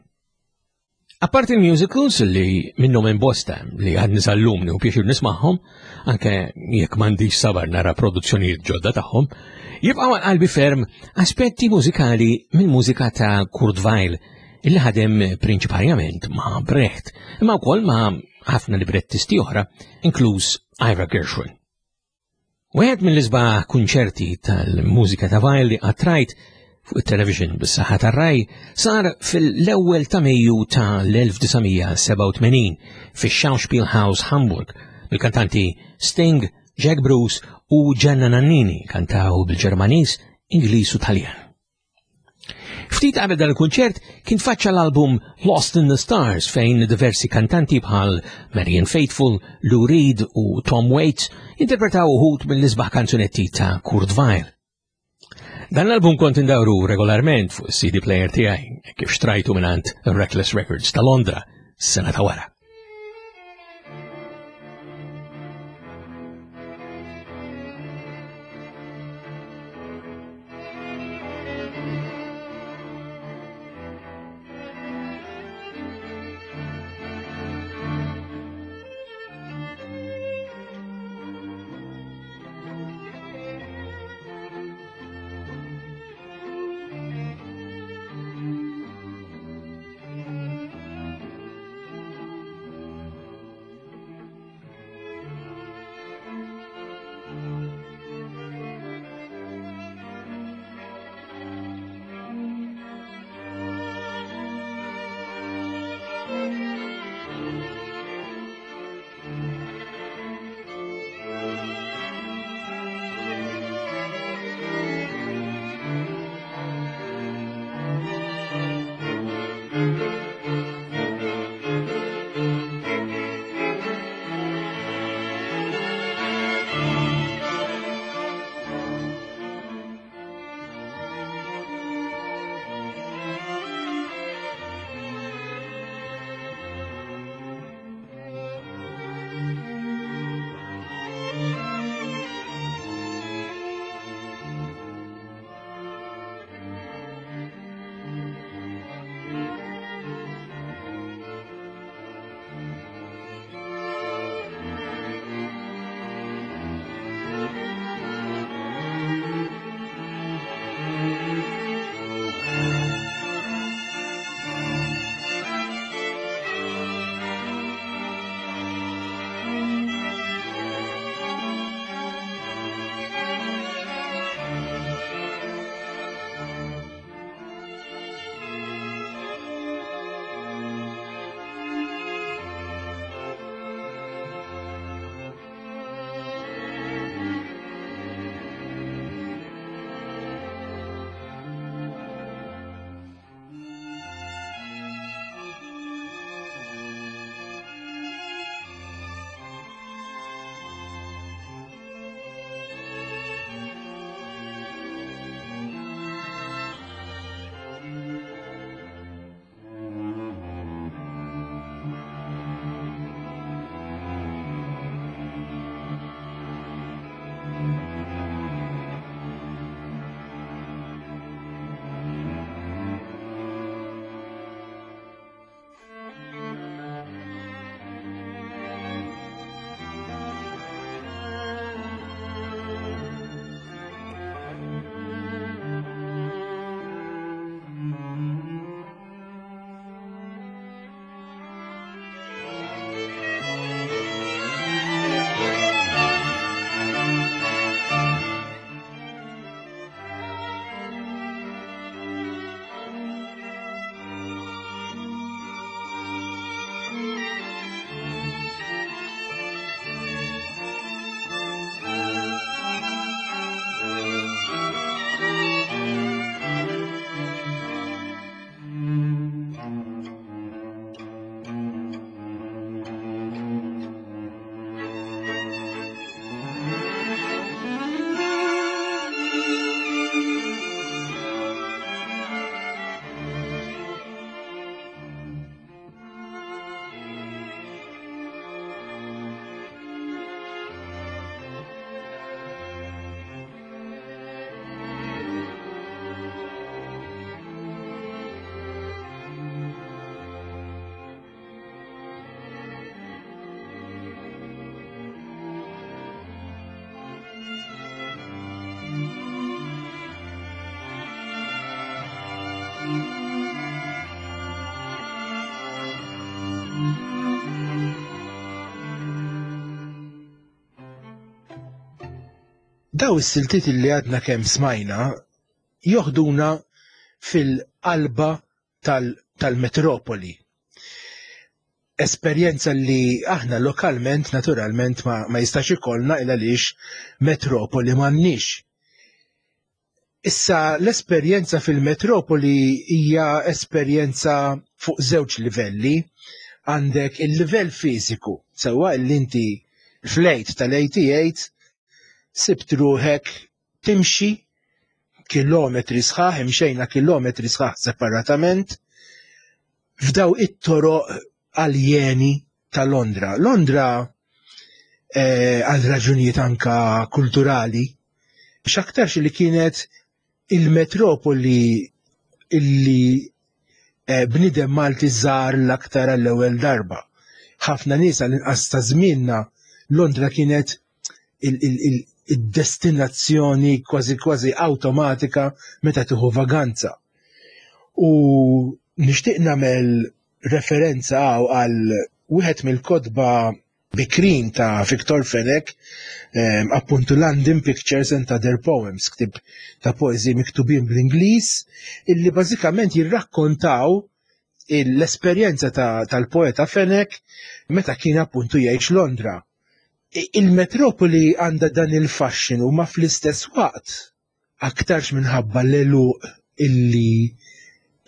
Apparti il-musicals li minnhom hemm bosta li għadni sal-lum u pjaċir nismagħhom, anke jekk m'għandix sabar nara produzzjonijiet ġodda tagħhom, jibqgħu għal qalbi ferm aspetti mużikali mill-mużika ta' Kurt Weill illi ħadem prinċiparjament ma' Brecht, imma wkoll ma' ħafna librettisti oħra, inkluż Ira Gershwin. Wieħed mill-isbaħ kunċerti tal-mużika ta' Weill li għattrajt fuq it-television bis-saħħa tar-raj sar fil-ewwel ta' Mejju ta' l-1987 fix-Schauspielhaus Hamburg mill-kantanti Sting, Jack Bruce u Gianna Nannini kantaw bil-Ġermaniż, Ingliż u Taljan. Ftit qabel dan il-kunċert kien faċċa l-album Lost in the Stars fejn diversi kantanti bħal Marian Faithfull, Lou Reed u Tom Waits interpretaw uħud mill-isbaħ kanzunetti ta' Kurt Weill. Dan l-album kont indawru regolarment fuq CD player tiegħi kif xtrajtu mingħand Reckless Records ta' Londra s-sena ta' wara. Daw is-siltiet li għadna kemm smajna joħduna fil-qalba tal-metropoli. Esperjenza li aħna lokalment naturalment ma, ma jistax ikollna il għaliex metropoli m'għandniex. Issa l-esperjenza fil-metropoli hija esperjenza fuq żewġ livelli. Għandek il-livell fiżiku, sewwa li inti fl-late tal-88 sibt ruħek timxi kilometri sħaħ, imxejna kilometri sħaħ separatament f'daw it-toroq aljeni ta' Londra. Londra eh, għal raġunijiet anka kulturali, x'aktarx li kienet il-metropoli illi eh, bnidem Malti żar l-aktar għall-ewwel darba. Ħafna nies għall-inqas ta' żmienna Londra kienet id-destinazzjoni kważi kważi awtomatika meta tieħu vaganza. U nixtieq nagħmel referenza għaw għal wieħed mill-kotba bikrin ta' Victor Fenech, ehm, appuntu London Pictures and Other Poems, ktib ta' poeżi miktubin bl-Ingliż, illi bażikament jirrakkontaw l-esperjenza tal-poeta Fenech meta kien appuntu jgħix Londra. Il-metropoli għandha dan il-faxxinu ma fl-istess waqt aktarx minħabba l-eluq illi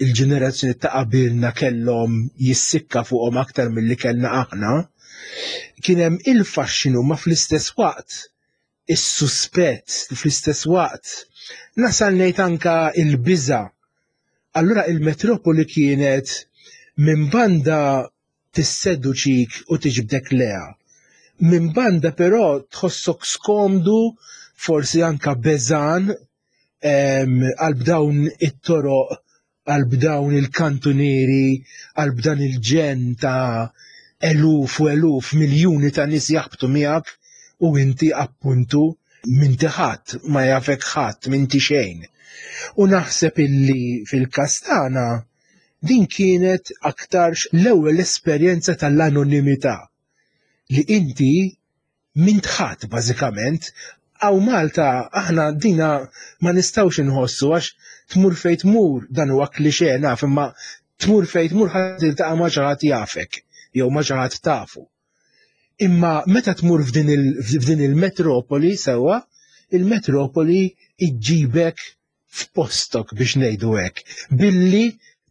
il-ġenerazzjoni ta' qabilna kellhom jissikka fuqhom aktar milli kellna aħna, kien hemm il-faxxinu ma fl-istess waqt is-suspett, fl-istess waqt nasal ngħid anka il-biża. Allura il-metropoli kienet minn banda tisseduċik u tiġbdek leha. Minn banda però tħossok skomdu, forsi anka beżan għal b'dawn it-toroq, għal b'dawn il-kantunieri, għal b'dan il-ġenn ta' eluf u eluf, miljuni ta' nies jaħbtu miegħek u inti appuntu m'inti ħadd, ma jafek ħadd, m'inti xejn. U naħseb illi fil-każ tagħna din kienet aktarx l-ewwel esperjenza tal-anonimità li inti m'int ħadd bażikament. Hawn Malta aħna dina ma nistgħux inħossu għax tmur fejn tmur dan huwa klixe naf imma tmur fejn tmur ħadd tiltaqa' ma' xi ħadd jafek jew ma' xi ħadd tafu. Imma meta tmur f'din il-metropoli sewwa, il-metropoli iġġibek f'postok biex ngħidu hekk, billi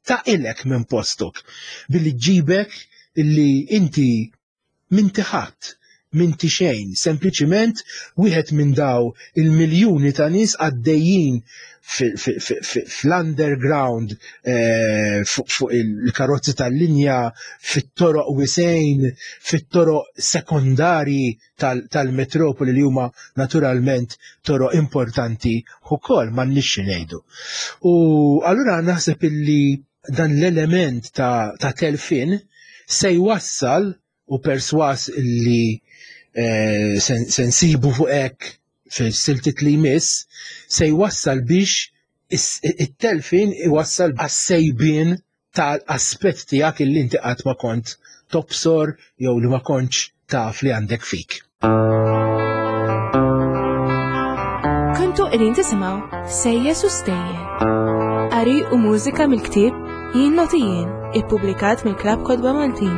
taqilek minn postok, billi ġġibek illi inti M'inti ħadd, m'inti xejn, sempliċiment wieħed minn daw il-miljuni ta' nies għaddejjin fl-underground, eh, fuq il-karozzi tal-linja, fit-toroq wisejn, fit-toroq sekondarji tal-metropoli li huma naturalment toroq importanti ukoll m'għandniex xi ngħidu. U allura naħseb illi dan l-element ta', ta telfin se jwassal u perswas li eh, se nsibu fuq hekk fil-siltit li jmiss se jwassal biex it-telfin iwassal għas-sejbien tal-aspett tiegħek illi inti qatt ma kont tobsor jew li ma kontx taf li għandek fik. Kontu qegħdin tisimgħu Sejjes u Stejjer. Qari u mużika mill-ktieb Jien Noti Jien, ippubblikat mill-Klabb Kotba Maltin.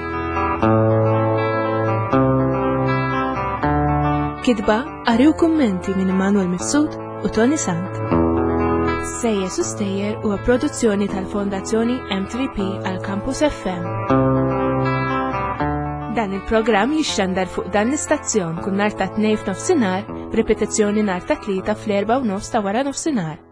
Kitba, qari u kummenti minn Immanuel Mifsud u Tony Sant. Sejjes u Stejjer huwa produzzjoni tal-Fondazzjoni M3P għal Campus FM. Dan il-programm jixxandar fuq dan l-istazzjon kull nhar ta' Tnejn f'nofsinhar b'ripetizzjoni nhar ta' Tlieta fl-4 u nofs ta' wara nofsinhar.